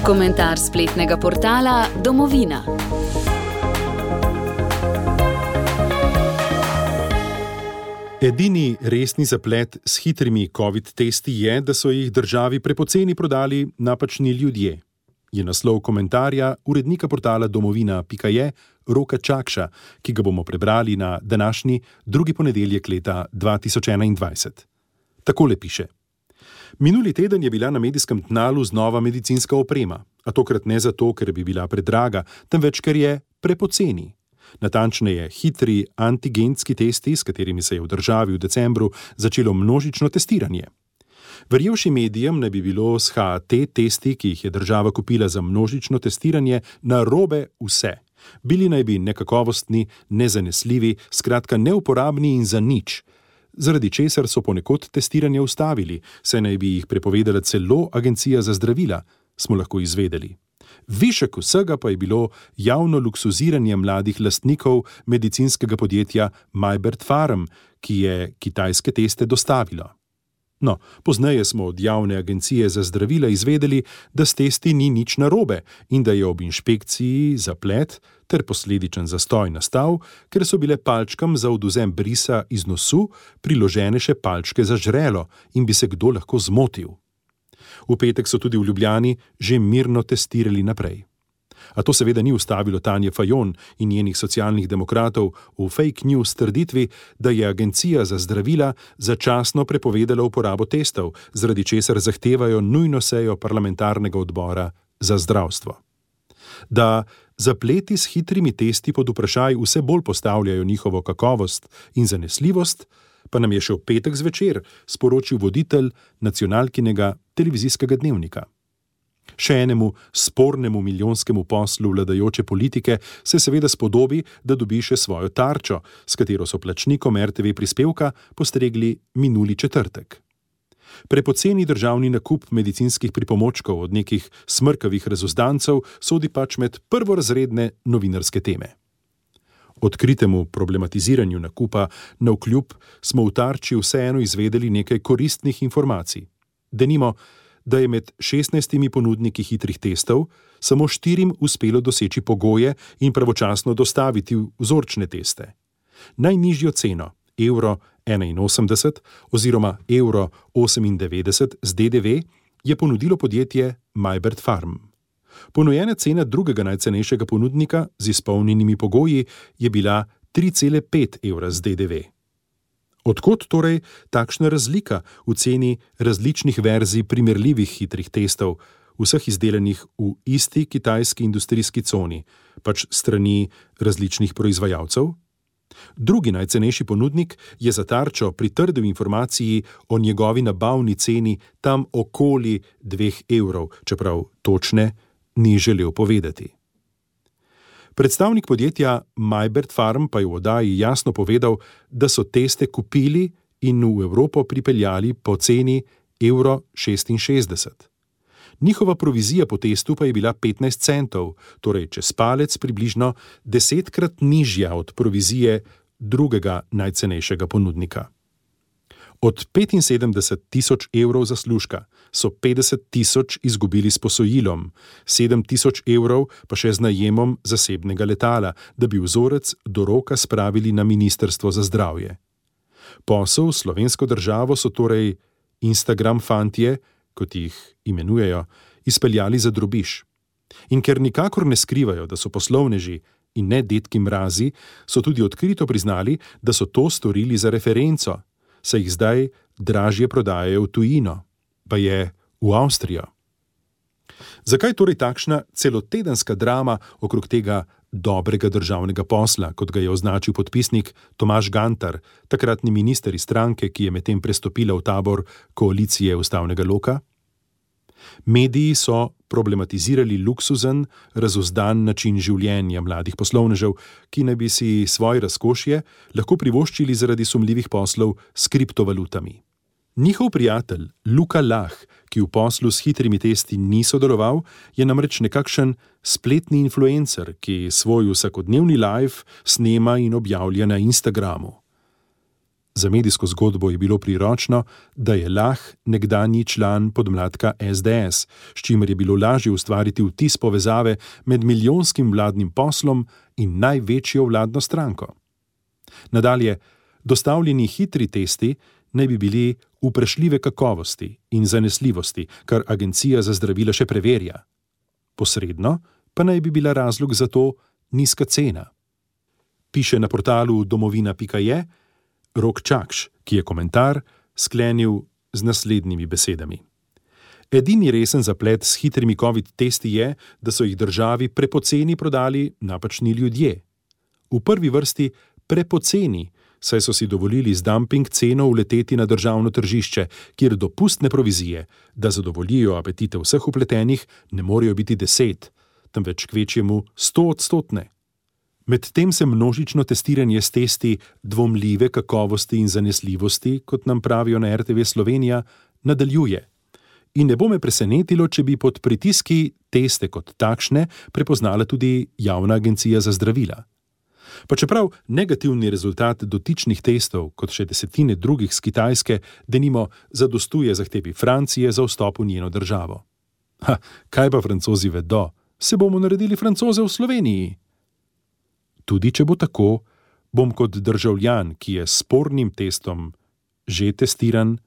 Komentar spletnega portala Domovina. Edini resni zaplet s hitrimi COVID testi je, da so jih državi prepoceni prodali napačni ljudje. Je naslov komentarja urednika portala domovina.je Roka Čakša, ki ga bomo prebrali na današnji drugi ponedeljek leta 2021. Takole piše. Minuli teden je bila na medijskem tnalu znova medicinska oprema, a tokrat ne zato, ker bi bila predraga, temveč ker je prepoceni. Natančneje, hitri antigenski testi, s katerimi se je v državi v decembru začelo množično testiranje. Verjevši medijem ne bi bilo s HT testi, ki jih je država kupila za množično testiranje, narobe vse. Bili naj bi nekakovostni, nezanesljivi, skratka neuporabni in za nič. Zaradi česar so ponekod testiranje ustavili, saj naj bi jih prepovedala celo Agencija za zdravila, smo lahko izvedeli. Višek vsega pa je bilo javno luksuziranje mladih lastnikov medicinskega podjetja Majbert Pharm, ki je kitajske teste dostavilo. No, pozneje smo od javne agencije za zdravila izvedeli, da s testi ni nič narobe in da je ob inšpekciji zaplet ter posledičen zastoj nastal, ker so bile palčkam za odvzem brisa iz nosu priložene še palčke za žrelo in bi se kdo lahko zmotil. V petek so tudi v Ljubljani že mirno testirali naprej. A to seveda ni ustavilo Tanje Fajon in njenih socialnih demokratov v fake news trditvi, da je Agencija za zdravila začasno prepovedala uporabo testov, zaradi česar zahtevajo nujno sejo parlamentarnega odbora za zdravstvo. Da zapleti s hitrimi testi pod vprašaj vse bolj postavljajo njihovo kakovost in zanesljivost, pa nam je še v petek zvečer sporočil voditelj nacionalkinega televizijskega dnevnika. Še enemu spornemu milijonskemu poslu vladajoče politike se seveda spodobi, da dobi še svojo tarčo, s katero so plačnikom RTV prispevka postregli minuli četrtek. Prepoceni državni nakup medicinskih pripomočkov od nekih smrkavih razuzdancev sodi pač med prvorazredne novinarske teme. Odkritemu problematiziranju nakupa navkljub smo v tarči vseeno izvedeli nekaj koristnih informacij. Denimo, da je med 16 ponudniki hitrih testov samo 4 uspelo doseči pogoje in pravočasno dostaviti vzorčne teste. Najnižjo ceno, €81 oziroma €98 z DDV, je ponudilo podjetje Majbert Pharm. Ponujena cena drugega najcenejšega ponudnika z izpolnjenimi pogoji je bila €3,5 z DDV. Odkot torej takšna razlika v ceni različnih verzij primerljivih hitrih testov, vseh izdelanih v isti kitajski industrijski coni, pač strani različnih proizvajalcev? Drugi najcenejši ponudnik je za tarčo pritrdil informaciji o njegovi nabavni ceni tam okoli €2, čeprav točne ni želel povedati. Predstavnik podjetja Majbert Pharm pa je v oddaji jasno povedal, da so teste kupili in v Evropo pripeljali po ceni €66. Njihova provizija po testu pa je bila 15 centov, torej čez palec približno 10-krat nižja od provizije drugega najcenejšega ponudnika. Od 75 000 evrov zaslužka so 50 000 izgubili s posojilom, 7 000 evrov pa še z najemom zasebnega letala, da bi vzorec do roka spravili na Ministrstvo za zdravje. Posel s slovensko državo so torej Instagram fantje, kot jih imenujejo, izpeljali za drobiž. In ker nikakor ne skrivajo, da so poslovneži in ne dedki mrazi, so tudi odkrito priznali, da so to storili za referenco, saj jih zdaj dražje prodajajo v tujino, pa je v Avstrijo. Zakaj torej takšna celotedenska drama okrog tega dobrega državnega posla, kot ga je označil podpisnik Tomaž Gantar, takratni minister iz stranke, ki je medtem prestopila v tabor koalicije ustavnega loka? Mediji so problematizirali luksuzen, razuzdan način življenja mladih poslovnežev, ki naj bi si svoje razkošje lahko privoščili zaradi sumljivih poslov s kriptovalutami. Njihov prijatelj Luka Lah, ki v poslu s hitrimi testi ni sodeloval, je namreč nekakšen spletni influencer, ki svoj vsakodnevni live snema in objavlja na Instagramu. Za medijsko zgodbo je bilo priročno, da je Lah nekdanji član podmladka SDS, s čimer je bilo lažje ustvariti vtis povezave med milijonskim vladnim poslom in največjo vladno stranko. Nadalje, dostavljeni hitri testi naj bi bili vprašljive kakovosti in zanesljivosti, kar Agencija za zdravila še preverja. Posredno pa naj bi bila razlog za to nizka cena. Piše na portalu domovina.je Rok Čakš, ki je komentar sklenil z naslednjimi besedami. Edini resen zaplet s hitrimi COVID testi je, da so jih državi prepoceni prodali napačni ljudje. V prvi vrsti prepoceni, saj so si dovolili z dumping ceno uleteti na državno tržišče, kjer dopustne provizije, da zadovoljijo apetite vseh vpletenih, ne morejo biti 10, temveč kvečjemu 100-odstotne. Medtem se množično testiranje s testi dvomljive kakovosti in zanesljivosti, kot nam pravijo na RTV Slovenija, nadaljuje. In ne bo me presenetilo, če bi pod pritiski teste kot takšne prepoznala tudi Javna agencija za zdravila. Pa čeprav negativni rezultat dotičnih testov, kot še desetine drugih z Kitajske, denimo zadostuje zahtevi Francije za vstop v njeno državo. Kaj pa Francozi vedo? Se bomo naredili Francoze v Sloveniji? Tudi če bo tako, bom kot državljan, ki je s spornim testom že testiran,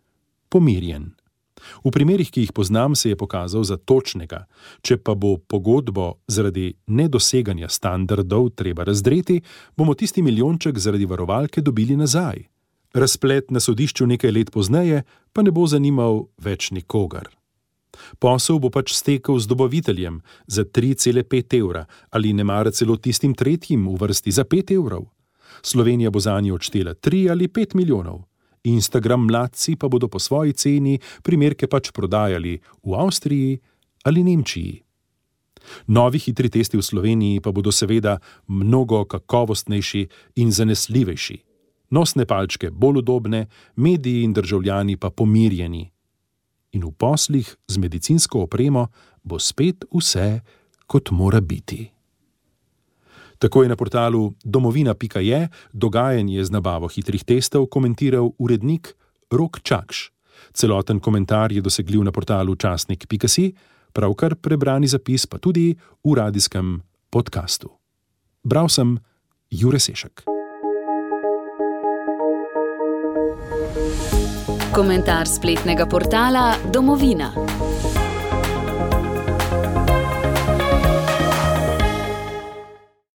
pomirjen. V primerih, ki jih poznam, se je pokazal za točnega. Če pa bo pogodbo zaradi nedoseganja standardov treba razdreti, bomo tisti milijonček zaradi varovalke dobili nazaj. Razplet na sodišču nekaj let pozneje pa ne bo zanimal več nikogar. Posel bo pač stekel z dobaviteljem za 3,5 evra ali nemara celo tistim tretjim v vrsti za 5 evrov. Slovenija bo zanje odštela 3 ali 5 milijonov. Instagram mladci pa bodo po svoji ceni primerke pač prodajali v Avstriji ali Nemčiji. Novi hitri testi v Sloveniji pa bodo seveda mnogo kakovostnejši in zanesljivejši. Nosne palčke bolj udobne, mediji in državljani pa pomirjeni. In v poslih z medicinsko opremo bo spet vse, kot mora biti. Tako je na portalu domovina.je dogajanje z nabavo hitrih testov komentiral urednik Rok Čakš. Celoten komentar je dosegljiv na portalu časnik.si, pravkar prebrani zapis pa tudi v radijskem podkastu. Bral sem Jure Sešek. Komentar spletnega portala Domovina.